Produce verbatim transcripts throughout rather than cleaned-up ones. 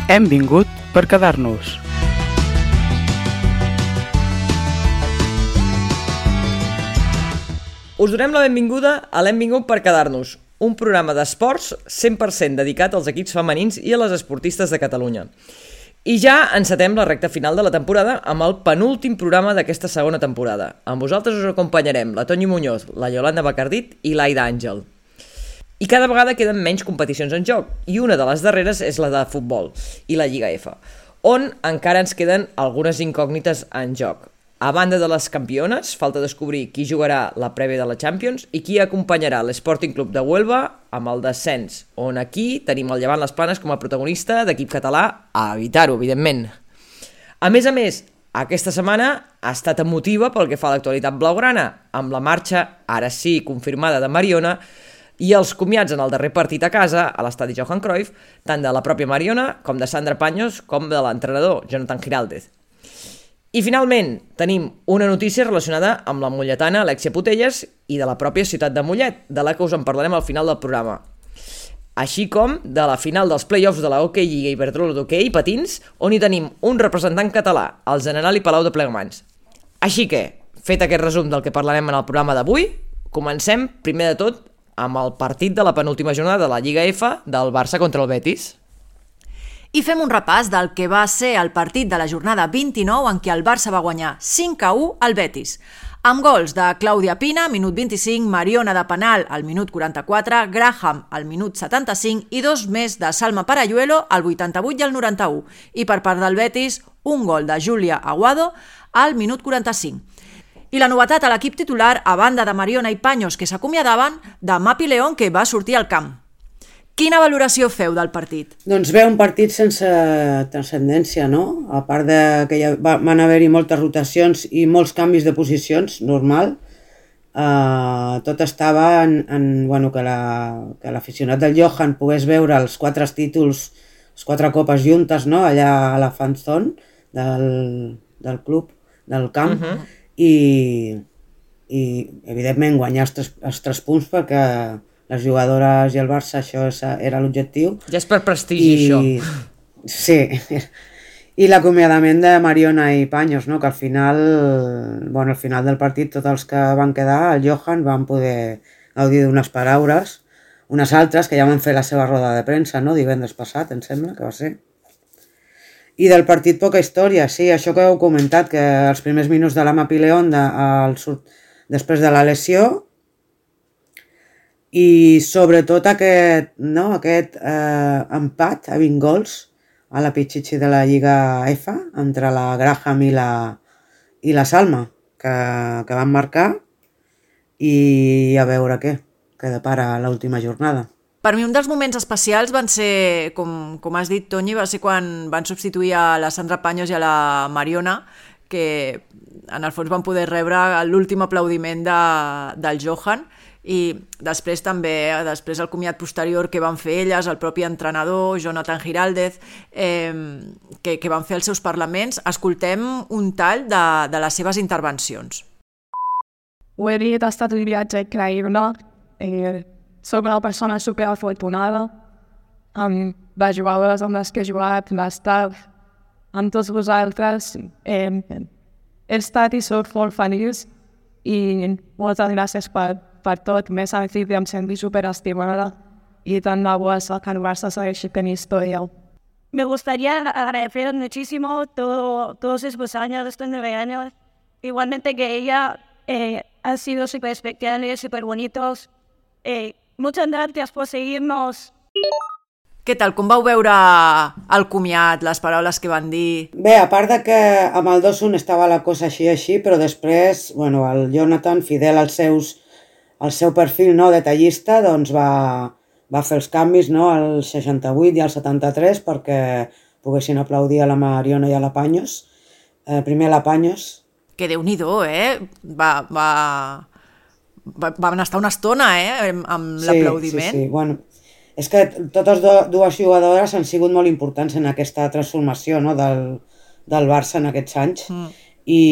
Hem vingut per quedar-nos. Us donem la benvinguda a l'Hem vingut per quedar-nos, un programa d'esports cent per cent dedicat als equips femenins i a les esportistes de Catalunya. I ja encetem la recta final de la temporada amb el penúltim programa d'aquesta segona temporada. Amb vosaltres us acompanyarem la Toñi Muñoz, la Yolanda Bacardit i l'Aida Àngel. I cada vegada queden menys competicions en joc, i una de les darreres és la de futbol i la Lliga F, on encara ens queden algunes incògnites en joc. A banda de les campiones, falta descobrir qui jugarà la prèvia de la Champions i qui acompanyarà l'Sporting Club de Huelva amb el descens, on aquí tenim el Llevant Les Planes com a protagonista d'equip català a evitar-ho, evidentment. A més a més, aquesta setmana ha estat emotiva pel que fa a l'actualitat blaugrana, amb la marxa, ara sí, confirmada de Mariona, i els comiats en el darrer partit a casa, a l'estadi Johan Cruyff, tant de la pròpia Mariona com de Sandra Paños com de l'entrenador Jonathan Giraldez. I finalment tenim una notícia relacionada amb la molletana Alexia Putellas i de la pròpia ciutat de Mollet, de la que us en parlarem al final del programa. Així com de la final dels play-offs de la Hockey Lliga Iberdrola d'Hockey Patins, on hi tenim un representant català, el Generali Palau de Plegamans. Així que, fet aquest resum del que parlarem en el programa d'avui, comencem, primer de tot, amb el partit de la penúltima jornada de la Lliga F del Barça contra el Betis. I fem un repàs del que va ser el partit de la jornada vint-i-nou en què el Barça va guanyar cinc a u al Betis. Amb gols de Clàudia Pina, minut vint-i-cinc, Mariona de penal al minut quaranta-quatre, Graham al minut setanta-cinc i dos més de Salma Parayuelo al vuitanta-vuit i al noranta-u. I per part del Betis, un gol de Júlia Aguado al minut quaranta-cinc. I la novetat a l'equip titular, a banda de Mariona i Paños, que s'acomiadaven, de Mapi León, que va sortir al camp. Quina valoració feu del partit? Doncs bé, un partit sense transcendència, no? A part de que ja van haver-hi moltes rotacions i molts canvis de posicions, normal. Uh, tot estava en, en bueno, que l'aficionat la, del Johan pogués veure els quatre títols, les quatre copes juntes, no? Allà a la fanzone del, del club, del camp. Uh-huh. I, i evidentment guanyar els tres, els tres punts perquè les jugadores i el Barça això era l'objectiu. Ja és per prestigi, I, això. Sí, i l'acomiadament de Mariona i Paños, no? Que al final, bueno, al final del partit tots els que van quedar, el Johan, van poder gaudir d'unes paraules, unes altres que ja van fer la seva roda de premsa, no? Divendres passat, em sembla que va ser. I del partit poca història, sí, això que heu comentat, que els primers minuts de la Mapi León de, el, després de la lesió i sobretot aquest, no, aquest eh, empat a vint gols a la Pichichi de la Lliga F entre la Graham i la, i la Salma que, que van marcar i a veure què, què depara l'última jornada. Per mi un dels moments especials van ser, com, com has dit, Toñi, va ser quan van substituir a la Sandra Paños i a la Mariona, que en el fons van poder rebre l'últim aplaudiment de, del Johan, i després també, després el comiat posterior que van fer elles, el propi entrenador, Jonathan Giraldez, eh, que, que van fer els seus parlaments. Escoltem un tall de, de les seves intervencions. Ho he dit, ha estat un viatge increïble, eh, soc una persona superafortunada amb les jugadores amb les que he jugat, l'estat, amb tots vosaltres. Eh, he estat i soc molt feliç i moltes gràcies per, per tot. Més al principi em sento superestimada y tan de bo que el Barça segueixi tenint historia. Me gustaría agradecer muchísimo todo, todos estos años, estos nueve años. Igualmente que ella eh, han sido súper especiales, súper bonitos. Eh, Muchas gracias por seguirnos. Què tal? Com vau veure el comiat, les paraules que van dir? Bé, a part de que amb el dos un estava la cosa així així, però després, bueno, el Jonathan, fidel als seus, al seu perfil, no, detallista, doncs va, va fer els canvis, no, al seixanta-vuit i al setanta-tres perquè poguessin aplaudir a la Mariona i a la Paños. Eh, primer a la Paños. Que Déu-n'hi-do, eh? Va... va... van estar una estona, eh, amb sí, l'aplaudiment. Sí, sí, bueno, és que totes dues jugadores han sigut molt importants en aquesta transformació, no, del, del Barça en aquests anys. Mm. I,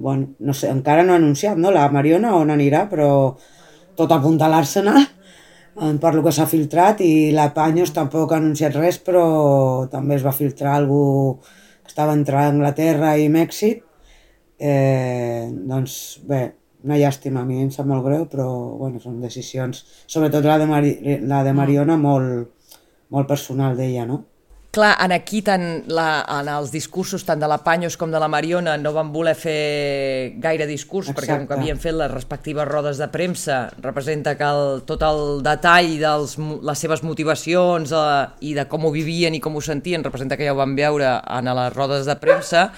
bueno, no sé, encara no ha anunciat, no, la Mariona on anirà, però tot apunta a l'Arsenal. per lo que s'ha filtrat, i la Paños tampoc ha anunciat res, però també es va filtrar algú que estava entre Anglaterra i Mèxic. Eh, doncs bé, una llàstima, a mi em sap molt greu, però bueno, són decisions, sobretot la de, Mari, la de Mariona, molt, molt personal d'ella, no? Clar, en aquí, tant la, en els discursos tant de la Paños com de la Mariona no van voler fer gaire discurs. Exacte. Perquè com que havien fet les respectives rodes de premsa, representa que el, tot el detall de les seves motivacions eh, i de com ho vivien i com ho sentien, representa que ja ho van veure en les rodes de premsa.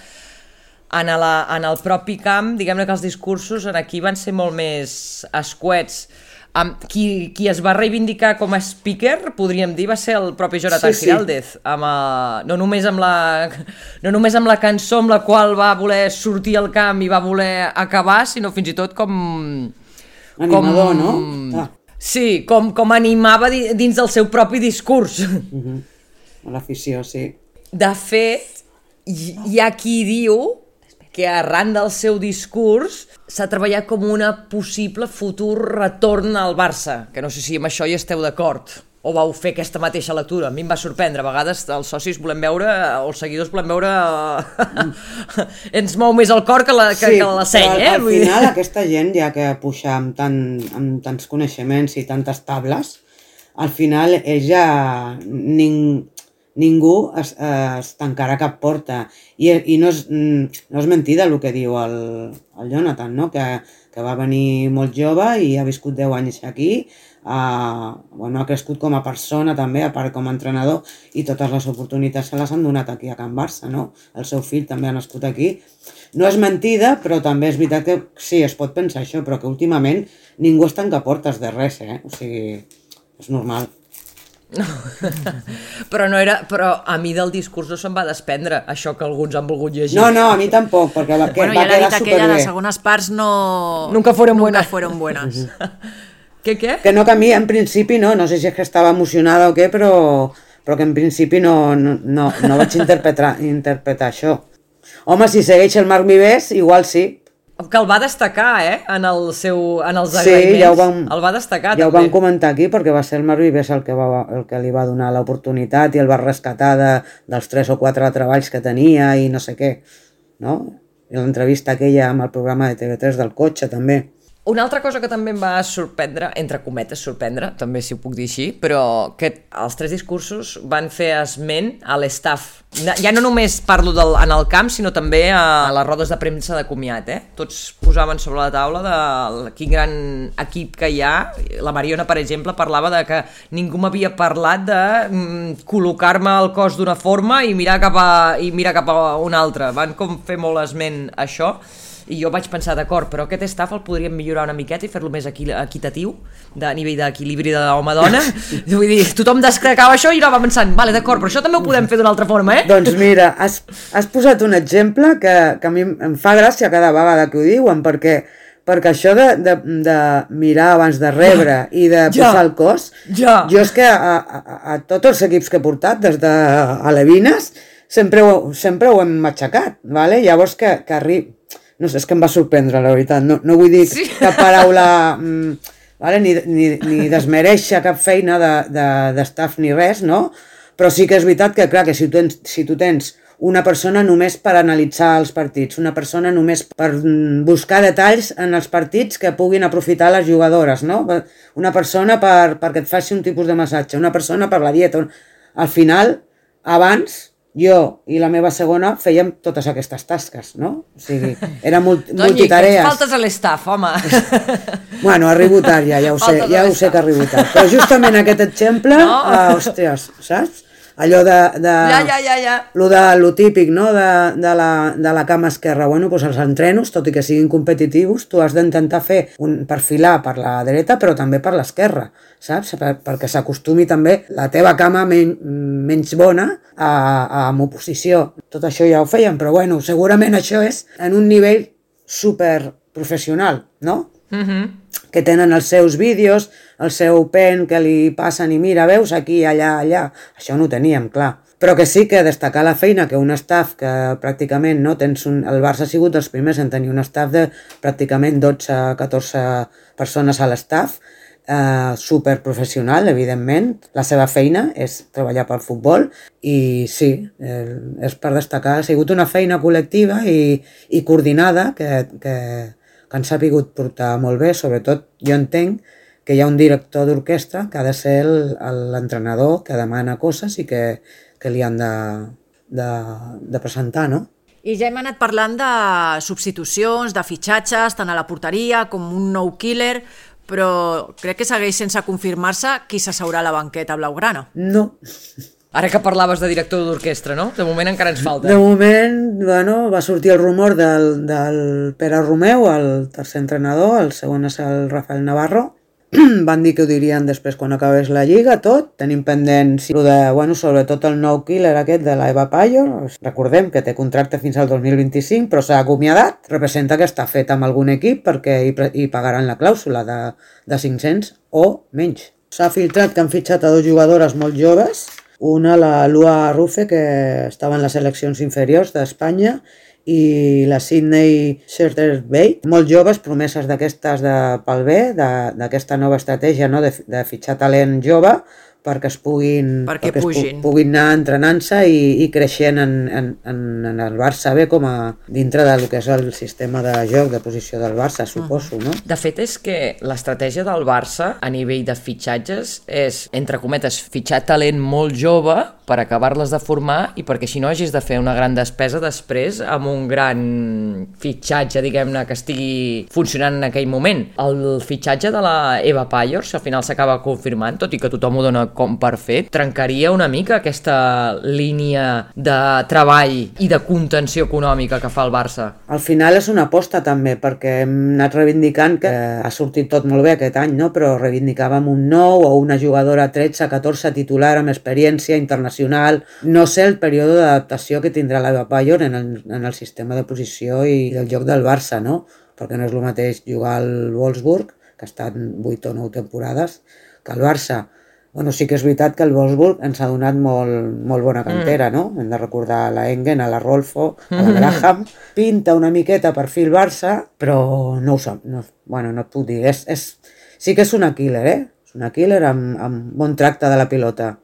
En, la, en el propi camp, diguem-ne que els discursos en aquí van ser molt més escuets. Um, qui, qui es va reivindicar com a speaker, podríem dir, va ser el propi Jonathan sí, sí. Giraldez, amb, uh, no, només amb la, no només amb la cançó amb la qual va voler sortir al camp i va voler acabar, sinó fins i tot com... Animador, com, no? Ah. Sí, com, com animava dins del seu propi discurs. Uh-huh. L'afició, sí. De fet, hi, hi ha qui diu que arran del seu discurs s'ha treballat com una possible futur retorn al Barça, que no sé si amb això hi esteu d'acord, o vau fer aquesta mateixa lectura. A mi em va sorprendre, a vegades els socis volem veure, o els seguidors volem veure, ens mou més el cor que la, que, sí, que la seny, eh? Al final aquesta gent, ja que puja amb, tant, amb tants coneixements i tantes tables, al final ella... Ning... ningú es, es tancarà cap porta, i, i no, és, no és mentida el que diu el, el Jonathan, no? que, que va venir molt jove i ha viscut deu anys aquí, uh, bueno, ha crescut com a persona també, a part com a entrenador, i totes les oportunitats se les han donat aquí a Can Barça, no? El seu fill també ha nascut aquí. No és mentida, però també és veritat que sí, es pot pensar això, però que últimament ningú es tanca portes de res, eh? O sigui, és normal. No. però no era, però a mi del discurs no se'm va desprendre això que alguns han volgut llegir. No, no, a mi tampoc, perquè va, bueno, va ja quedar superbé. Bueno, ja l'ha dit aquella, les segones parts no... Nunca fueron Nunca buenas. Fueron buenas. Què, què? Que no, que a mi en principi no, no sé si és que estava emocionada o què, però, però que en principi no, no, no, no vaig interpretar, interpretar això. Home, si segueix el Marc Vives, igual sí. Que el va destacar, eh? En, el seu, en els agraïments. Sí, ja ho vam, el va destacar, ja també. ho vam comentar aquí, perquè va ser el Marc Vives el que, va, el que li va donar l'oportunitat i el va rescatar de, dels tres o quatre treballs que tenia i no sé què, no? I l'entrevista aquella amb el programa de T V tres del cotxe, també. Una altra cosa que també em va sorprendre, entre cometes sorprendre, també si ho puc dir així, però que els tres discursos van fer esment a l'estaf. Ja no només parlo del, en el camp, sinó també a les rodes de premsa de comiat, eh? Tots posaven sobre la taula de quin gran equip que hi ha. La Mariona, per exemple, parlava de que ningú m'havia parlat de mm, col·locar-me el cos d'una forma i mirar cap a, i mirar cap a una altra. Van com fer molt esment a això. I jo vaig pensar, d'acord, però aquest staff el podríem millorar una miqueta i fer-lo més equitatiu, de a nivell d'equilibri de home-dona. Vull dir, tothom descracava això i jo va pensant, vale, d'acord, però això també ho podem fer d'una altra forma, eh? Doncs mira, has, has posat un exemple que, que a mi em fa gràcia cada vegada que ho diuen, perquè, perquè això de, de, de mirar abans de rebre i de ja, posar el cos, ja. jo és que a, a, a tots els equips que he portat, des de Alevines, sempre ho, sempre ho hem matxacat, vale? Llavors que, que arribi... No sé, és que em va sorprendre, la veritat. No, no vull dir sí. cap paraula, mm, vale? ni, ni, ni desmereixer cap feina d'estaf de, de, ni res, no? Però sí que és veritat que, clar, que si tu, tens, si tu tens una persona només per analitzar els partits, una persona només per buscar detalls en els partits que puguin aprofitar les jugadores, no? Una persona per, perquè et faci un tipus de massatge, una persona per la dieta. Al final, abans... jo i la meva segona fèiem totes aquestes tasques, no? O sigui, era multi, multitarees. Doni, faltes a l'estaf, home. Bueno, arribo tard ja, ja ho sé, ja ho sé que arribo tard. Però justament aquest exemple, no. uh, hòsties, saps? Allò de... de ja, ja, ja, ja. Lo, de, lo típic, no?, de, de, la, de la cama esquerra. Bueno, doncs els entrenos, tot i que siguin competitius, tu has d'intentar fer un perfilar per la dreta, però també per l'esquerra, saps? Per, perquè s'acostumi també la teva cama men, menys bona a, a, amb oposició. Tot això ja ho feien, però bueno, segurament això és en un nivell super professional, no? Mhm. Que tenen els seus vídeos, el seu pen que li passen i mira, veus, aquí, allà, allà. Això no ho teníem, clar. Però que sí que destacar la feina que un staff que pràcticament, no, tens un, el Barça ha sigut dels primers en tenir un staff de pràcticament dotze a catorze persones a l'staff, eh, superprofessional, evidentment. La seva feina és treballar pel futbol i sí, eh, és per destacar. Ha sigut una feina col·lectiva i, i coordinada que, que, que han sapigut portar molt bé. Sobretot jo entenc que hi ha un director d'orquestra que ha de ser l'entrenador que demana coses i que, que li han de, de, de presentar, no? I ja hem anat parlant de substitucions, de fitxatges, tant a la porteria com un nou killer, però crec que segueix sense confirmar-se qui s'asseurà a la banqueta blaugrana. No. Ara que parlaves de director d'orquestra, no? De moment encara ens falta. De moment, bueno, va sortir el rumor del, del Pere Romeu, el tercer entrenador, el segon és el Rafael Navarro. Van dir que ho dirien després quan acabés la Lliga, tot. Tenim pendent, sí, de, bueno, sobretot el nou killer aquest de l'Eva Payor. Recordem que té contracte fins al dos mil vint-i-cinc, però s'ha acomiadat. Representa que està fet amb algun equip perquè hi, hi pagaran la clàusula de, de cinc-cents o menys. S'ha filtrat que han fitxat a dues jugadores molt joves. Una, la Lua Rufe, que estava en les seleccions inferiors d'Espanya, i la Sydney Scherter-Bate, molt joves, promeses d'aquestes de, pel bé, d'aquesta nova estratègia, no? de, de fitxar talent jove perquè es puguin, perquè perquè pugin. Es pu puguin anar entrenant-se i, i creixent en, en, en, en el Barça bé com a dintre del que és el sistema de joc, de posició del Barça, suposo, no? De fet, és que l'estratègia del Barça a nivell de fitxatges és, entre cometes, fitxar talent molt jove per acabar-les de formar i perquè si no hagis de fer una gran despesa després amb un gran fitxatge, diguem-ne, que estigui funcionant en aquell moment. El fitxatge de la Eva Payor, si al final s'acaba confirmant, tot i que tothom ho dona com per fet, trencaria una mica aquesta línia de treball i de contenció econòmica que fa el Barça. Al final és una aposta també, perquè hem anat reivindicant que ha sortit tot molt bé aquest any, no? Però reivindicàvem un nou o una jugadora tretze catorze titular amb experiència internacional. No sé el període d'adaptació que tindrà l'Eva Payor en el, en el sistema de posició i del joc del Barça, no? Perquè no és el mateix jugar al Wolfsburg, que ha estat vuit o nou temporades, que el Barça. Bueno, sí que és veritat que el Wolfsburg ens ha donat molt, molt bona cantera, no? Hem de recordar a la Engen, a la Rolfo, a la Graham. Pinta una miqueta perfil Barça, però no ho sap. No, bueno, no et puc dir. És, és, sí que és una killer, eh? És una killer amb, amb bon tracte de la pilota.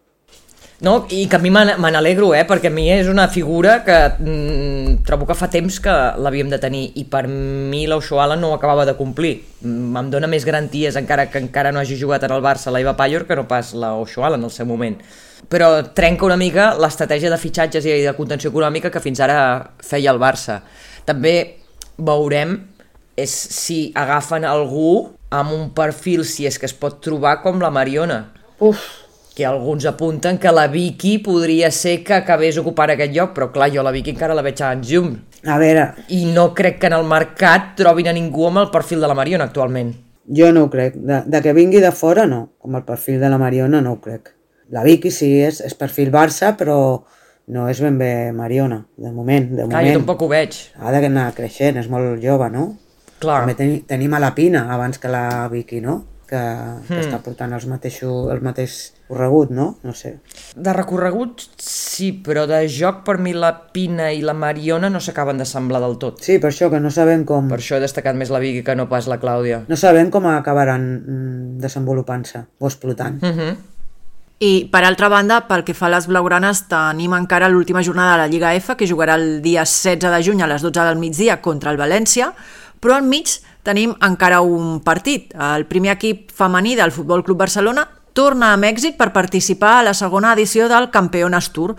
No, i que a mi me n'alegro, eh? Perquè a mi és una figura que mm, trobo que fa temps que l'havíem de tenir i per mi l'Oshoala no ho acabava de complir. Em dona més garanties, encara que encara no hagi jugat en el Barça la Eva Payor, que no pas l'Oshoala en el seu moment. Però trenca una mica l'estratègia de fitxatges i de contenció econòmica que fins ara feia el Barça. També veurem és si agafen algú amb un perfil, si és que es pot trobar, com la Mariona. Uf! Que alguns apunten que la Vicky podria ser que acabés ocupant aquest lloc, però clar, jo la Vicky encara la veig a Anjum. A veure... I no crec que en el mercat trobin a ningú amb el perfil de la Mariona actualment. Jo no ho crec. De, de que vingui de fora, no. Com el perfil de la Mariona, no ho crec. La Vicky sí, és, és perfil Barça, però no és ben bé Mariona, de moment. De clar, moment. Jo tampoc ho veig. Ha d'anar creixent, és molt jove, no? Clar. També ten, tenim a la Pina abans que la Vicky, no? Que, que Hmm. està portant els mateixos, el mateix corregut, no? No sé. De recorregut sí, però de joc per mi la Pina i la Mariona no s'acaben d'assemblar del tot. Sí, per això que no sabem com... Per això he destacat més la Vicky que no pas la Clàudia. No sabem com acabaran mm, desenvolupant-se o explotant. Uh -huh. I, per altra banda, pel que fa a les blaugranes, tenim encara l'última jornada de la Lliga F, que jugarà el dia setze de juny a les dotze del migdia contra el València, però al mig tenim encara un partit. El primer equip femení del Futbol Club Barcelona torna a Mèxic per participar a la segona edició del Campeones Tour.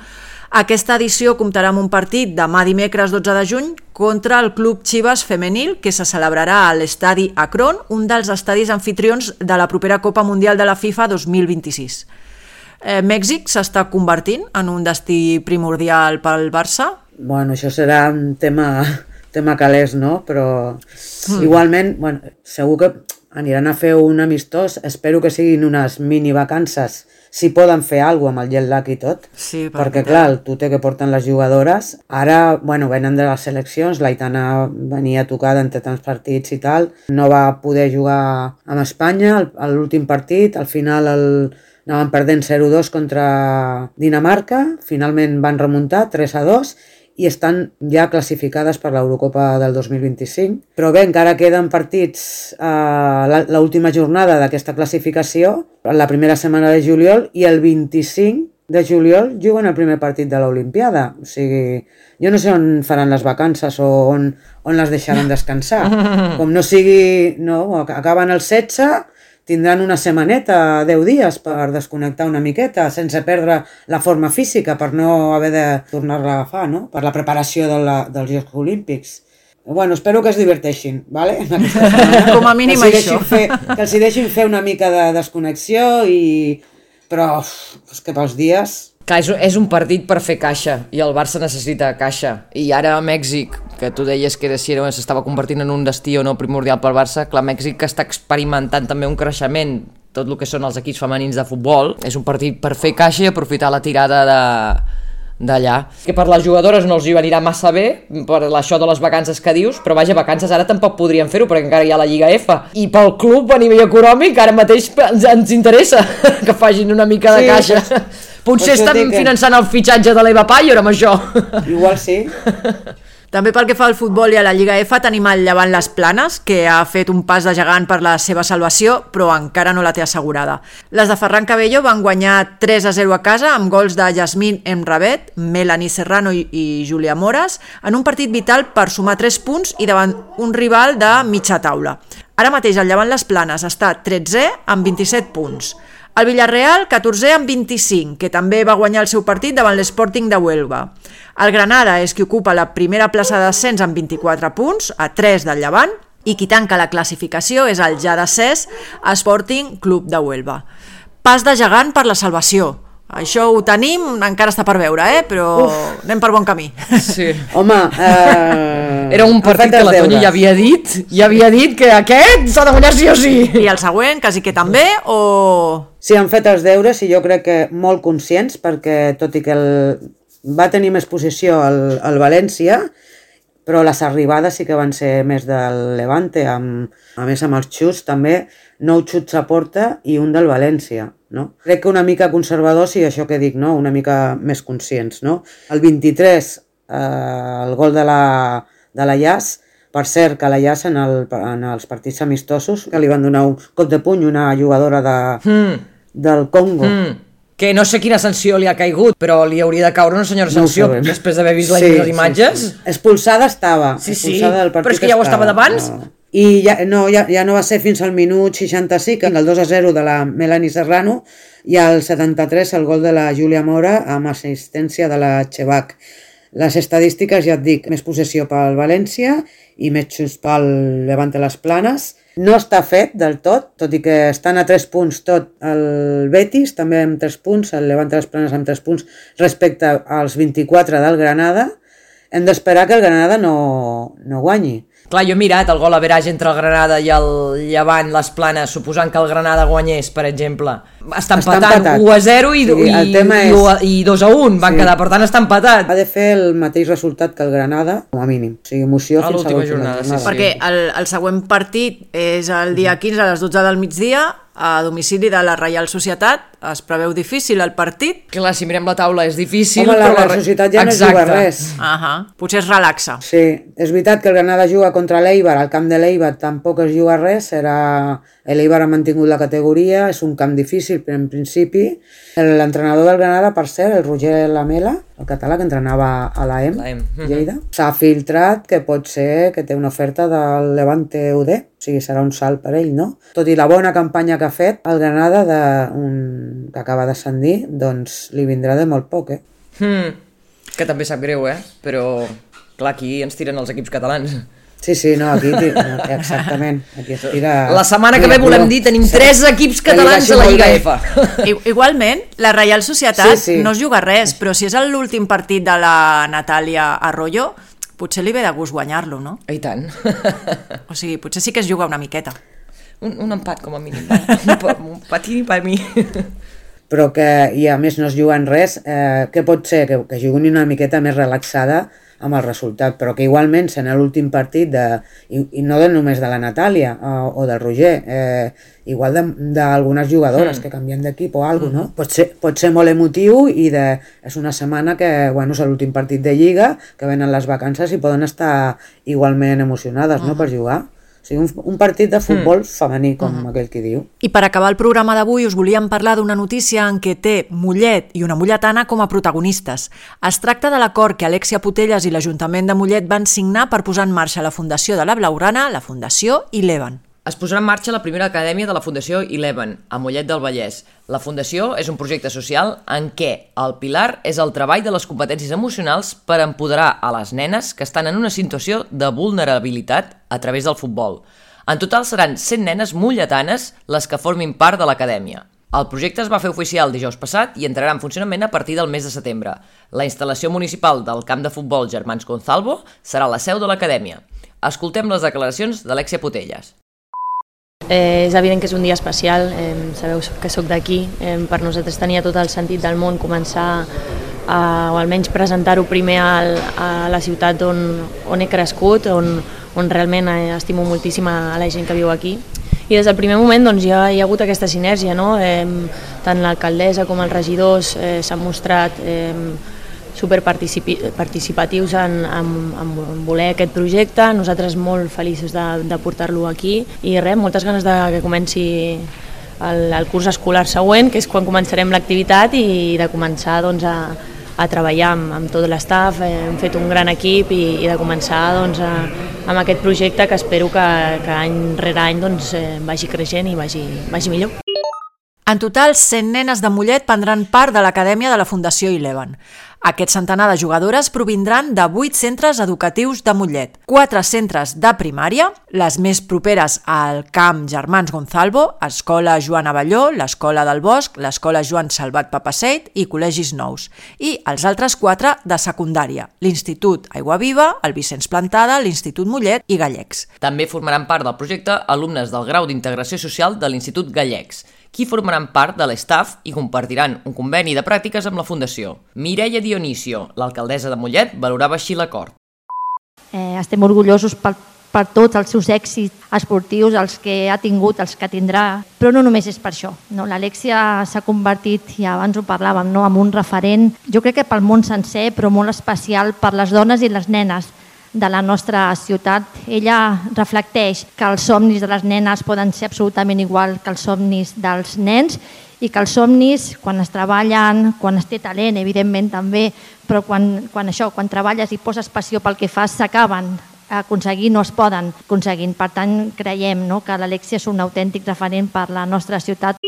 Aquesta edició comptarà amb un partit demà dimecres dotze de juny contra el Club Chivas Femenil, que se celebrarà a l'estadi Akron, un dels estadis anfitrions de la propera Copa Mundial de la FIFA dos mil vint-i-sis. Eh, Mèxic s'està convertint en un destí primordial pel Barça? Bueno, això serà un tema... tema calés, no? Però mm. igualment, bueno, segur que aniran a fer un amistós, espero que siguin unes mini vacances, si poden fer alguna cosa amb el jet lag i tot, sí, perquè clar, el tute que porten les jugadores, ara, bueno, venen de les seleccions, l'Aitana venia tocada entre tants partits i tal, no va poder jugar amb Espanya, a l'últim partit, al final el anaven perdent zero dos contra Dinamarca, finalment van remuntar tres a dos i estan ja classificades per l'Eurocopa del dos mil vint-i-cinc. Però bé, encara queden partits a l'última jornada d'aquesta classificació, la primera setmana de juliol, i el vint-i-cinc de juliol juguen el primer partit de l'Olimpiada. O sigui, jo no sé on faran les vacances o on, on les deixaran descansar. Com no sigui, no, acaben el setze, tindran una setmaneta, deu dies, per desconnectar una miqueta, sense perdre la forma física, per no haver de tornar-la a agafar, no? Per la preparació de la, dels Jocs Olímpics. Bueno, espero que es diverteixin, ¿vale? Com a mínim que això. Fer, que els hi deixin fer una mica de desconnexió, i... però és que pels dies... Clar, és, és un partit per fer caixa, i el Barça necessita caixa. I ara a Mèxic, que tu deies que si era, s'estava convertint en un destí o no primordial pel Barça, clar, Mèxic està experimentant també un creixement, tot el que són els equips femenins de futbol. És un partit per fer caixa i aprofitar la tirada de... d'allà. Que per les jugadores no els hi anirà massa bé, per això de les vacances que dius, però vaja, vacances ara tampoc podrien fer-ho, perquè encara hi ha la Lliga F. I pel club, a nivell econòmic, ara mateix ens, ens interessa que facin una mica de sí, caixa. Pues, potser estan que... finançant el fitxatge de l'Eva Payer amb això. Igual sí. També pel que fa al futbol i a la Lliga F tenim el Llevant Les Planes, que ha fet un pas de gegant per la seva salvació, però encara no la té assegurada. Les de Ferran Cabello van guanyar tres a zero a casa amb gols de Yasmín Emrabet, Melanie Serrano i, i Júlia Mores, en un partit vital per sumar tres punts i davant un rival de mitja taula. Ara mateix el Llevant Les Planes està tretzè amb vint-i-set punts. El Villarreal, catorzè amb vint-i-cinc, que també va guanyar el seu partit davant l'Sporting de Huelva. El Granada és qui ocupa la primera plaça de descens amb vint-i-quatre punts, a tres del Llevant, i qui tanca la classificació és el ja descès Sporting Club de Huelva. Pas de gegant per la salvació. Això ho tenim, encara està per veure, eh? Però Uf. anem per bon camí. Sí. Home, eh... era un partit que la Tonya ja havia dit, ja havia dit que aquest s'ha de guanyar sí o sí. I el següent, quasi que també, o... Sí, han fet els deures i jo crec que molt conscients, perquè tot i que el... va tenir més posició el, el València, però les arribades sí que van ser més del Levante, amb, a més amb els xuts també, nou xuts a porta i un del València. No? Crec que una mica conservadors i això que dic, no? Una mica més conscients. No? El vint-i-tres, eh, el gol de la, de la Llàs, per cert que la Llàs en, el, en els partits amistosos, que li van donar un cop de puny una jugadora de, mm. del Congo. Mm. Que no sé quina sanció li ha caigut, però li hauria de caure una senyora sanció no després d'haver vist sí, les imatges. Sí, sí. Expulsada estava. Sí, sí, expulsada del però és que ja ho estava d'abans. No. I ja no, ja, ja no va ser fins al minut seixanta-cinc, el dos a zero de la Melanie Serrano, i al setanta-tres el gol de la Júlia Mora amb assistència de la Chevac. Les estadístiques, ja et dic, més possessió pel València i més xuts pel Levante Les Planes. No està fet del tot, tot i que estan a tres punts tot el Betis, també amb tres punts, el Levante Les Planes amb tres punts respecte als vint-i-quatre del Granada. Hem d'esperar que el Granada no, no guanyi. Clar, jo he mirat el gol average entre el Granada i el Llevant Les Planes, suposant que el Granada guanyés, per exemple. Està empatant, està empatat. u a zero i, sí, i, és... i dos a un van sí. quedar, per tant està empatat. Ha de fer el mateix resultat que el Granada, com a mínim. O sigui, emoció a fins a l'última jornada. jornada. Sí, sí. Perquè el, el següent partit és el dia quinze a les dotze del migdia, a domicili de la Reial Societat. Es preveu difícil el partit. Clar, si mirem la taula és difícil. Home, la però Reial Societat ja Exacte. no juga res. Uh -huh. Potser es relaxa. Sí, és veritat que el Granada juga contra l'Eibar, al camp de l'Eibar tampoc es juga res, serà... l'Eibar ha mantingut la categoria, és un camp difícil en principi. L'entrenador del Granada, per cert, el Roger Lamela, el català que entrenava a l'A E M, Lleida, s'ha filtrat que pot ser que té una oferta del Levante U D, o sigui, serà un salt per ell, no? Tot i la bona campanya que ha fet, el Granada, de un... que acaba d'ascendir, doncs li vindrà de molt poc, eh? Hmm. Que també sap greu, eh? Però, clar, aquí ens tiren els equips catalans. Sí, sí, no, aquí, exactament. Aquí es tira... La setmana que ve volem dir, tenim tres equips catalans a la Lliga F. Igualment, la Reial Societat sí, sí. no es juga res, però si és l'últim partit de la Natàlia Arroyo, potser li ve de gust guanyar-lo, no? I tant. O sigui, potser sí que es juga una miqueta. Un, un empat, com a mínim. Un patini per mi. Però que, i a més no es juguen res, eh, què pot ser? Que, que juguin una miqueta més relaxada amb el resultat, però que igualment sent l'últim partit de, i, i no de només de la Natàlia o, o del Roger, eh, igual d'algunes jugadores mm. que canvien d'equip o alguna cosa, no? Pot ser, pot ser molt emotiu i de, és una setmana que, bueno, és l'últim partit de Lliga, que venen les vacances i poden estar igualment emocionades, no?, per jugar. O sigui, un, un partit de futbol mm. femení, com mm. aquell que diu. I per acabar el programa d'avui us volíem parlar d'una notícia en què té Mollet i una molletana com a protagonistes. Es tracta de l'acord que Alexia Putellas i l'Ajuntament de Mollet van signar per posar en marxa la Fundació de la Blaugrana, la Fundació Eleven. Es posarà en marxa la primera acadèmia de la Fundació Eleven, a Mollet del Vallès. La Fundació és un projecte social en què el pilar és el treball de les competències emocionals per empoderar a les nenes que estan en una situació de vulnerabilitat a través del futbol. En total seran cent nenes molletanes les que formin part de l'acadèmia. El projecte es va fer oficial dijous passat i entrarà en funcionament a partir del mes de setembre. La instal·lació municipal del camp de futbol Germans Gonzalvo serà la seu de l'acadèmia. Escoltem les declaracions d'Alexia Putellas. Eh, és evident que és un dia especial, eh, sabeu que sóc d'aquí, eh, per nosaltres tenia tot el sentit del món començar a, o almenys presentar-ho primer al, a la ciutat on, on he crescut, on, on realment estimo moltíssim a la gent que viu aquí. I des del primer moment doncs, ja hi ha hagut aquesta sinergia, no? eh, tant l'alcaldessa com els regidors eh, s'han mostrat eh, superparticipatius en, en, en voler aquest projecte, nosaltres molt feliços de, de portar-lo aquí i res, moltes ganes de que comenci el, el curs escolar següent, que és quan començarem l'activitat i de començar doncs, a, a treballar amb, amb tot l'estaf, hem fet un gran equip i, i de començar doncs, a, amb aquest projecte que espero que, que any rere any doncs, vagi creixent i vagi, vagi millor. En total, cent nenes de Mollet prendran part de l'Acadèmia de la Fundació Eleven. Aquest centenar de jugadores provindran de vuit centres educatius de Mollet, quatre centres de primària, les més properes al camp Germans Gonzalvo, Escola Joan Abelló, l'Escola del Bosc, l'Escola Joan Salvat Papaseit i col·legis nous, i els altres quatre de secundària, l'Institut Aiguaviva, el Vicenç Plantada, l'Institut Mollet i Gallecs. També formaran part del projecte alumnes del grau d'Integració Social de l'Institut Gallecs, qui formaran part de l'estaf i compartiran un conveni de pràctiques amb la Fundació. Mireia Dionisio, l'alcaldessa de Mollet, valorava així l'acord. Eh, estem orgullosos per, per tots els seus èxits esportius, els que ha tingut, els que tindrà, però no només és per això. No? L'Alexia s'ha convertit, i abans ho parlàvem, no? en un referent, jo crec que pel món sencer, però molt especial per les dones i les nenes de la nostra ciutat. Ella reflecteix que els somnis de les nenes poden ser absolutament igual que els somnis dels nens i que els somnis, quan es treballen, quan es té talent, evidentment també, però quan, quan això, quan treballes i poses passió pel que fas, s'acaben aconseguint o es poden aconseguir. Per tant, creiem no, que l'Alexia és un autèntic referent per la nostra ciutat.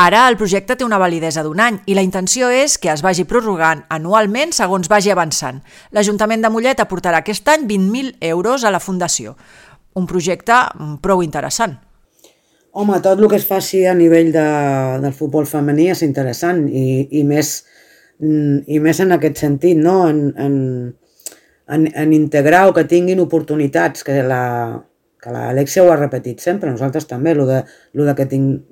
Ara el projecte té una validesa d'un any i la intenció és que es vagi prorrogant anualment segons vagi avançant. L'Ajuntament de Mollet aportarà aquest any vint mil euros a la Fundació. Un projecte prou interessant. Home, tot el que es faci a nivell de, del futbol femení és interessant i, i, més, i més en aquest sentit, no? en, en, en, en integrar o que tinguin oportunitats, que la... que l'Alexia ho ha repetit sempre, nosaltres també, el de, el de que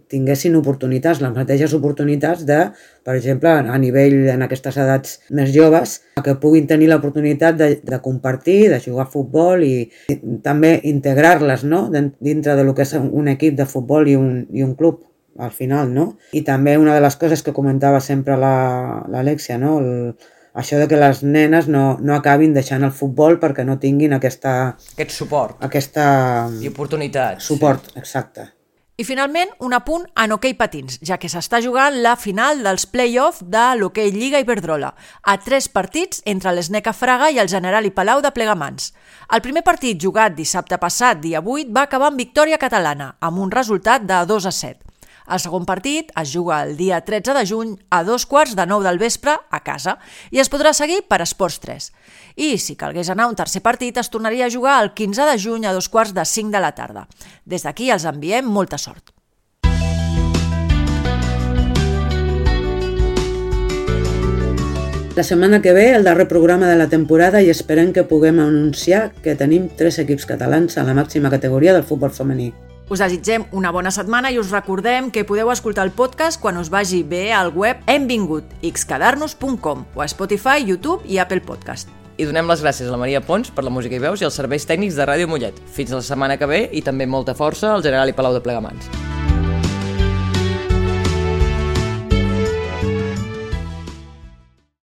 tinguessin oportunitats, les mateixes oportunitats de, per exemple, a nivell en aquestes edats més joves, que puguin tenir l'oportunitat de, de compartir, de jugar a futbol i, i també integrar-les no? dintre de lo que és un equip de futbol i un, i un club, al final. No? I també una de les coses que comentava sempre l'Alexia, no? el, això de que les nenes no, no acabin deixant el futbol perquè no tinguin aquesta... Aquest suport. Aquesta... I oportunitats. Suport, sí. Exacte. I finalment, un apunt en hoquei patins, ja que s'està jugant la final dels play-off de l'hoquei Lliga Iberdrola, a tres partits entre l'Sneca Fraga i el General i Palau de Plegamans. El primer partit jugat dissabte passat, dia vuit, va acabar amb victòria catalana, amb un resultat de dos a set. El segon partit es juga el dia tretze de juny a dos quarts de nou del vespre a casa i es podrà seguir per Esports tres. I si calgués anar a un tercer partit es tornaria a jugar el quinze de juny a dos quarts de cinc de la tarda. Des d'aquí els enviem molta sort. La setmana que ve, el darrer programa de la temporada i esperem que puguem anunciar que tenim tres equips catalans a la màxima categoria del futbol femení. Us desitgem una bona setmana i us recordem que podeu escoltar el podcast quan us vagi bé al web hem vingut x quedar nos punt com o a Spotify, YouTube i Apple Podcast. i donem les gràcies a la Maria Pons per la música i veus i els serveis tècnics de Ràdio Mollet. Fins la setmana que ve i també molta força al General i Palau de Plegamans.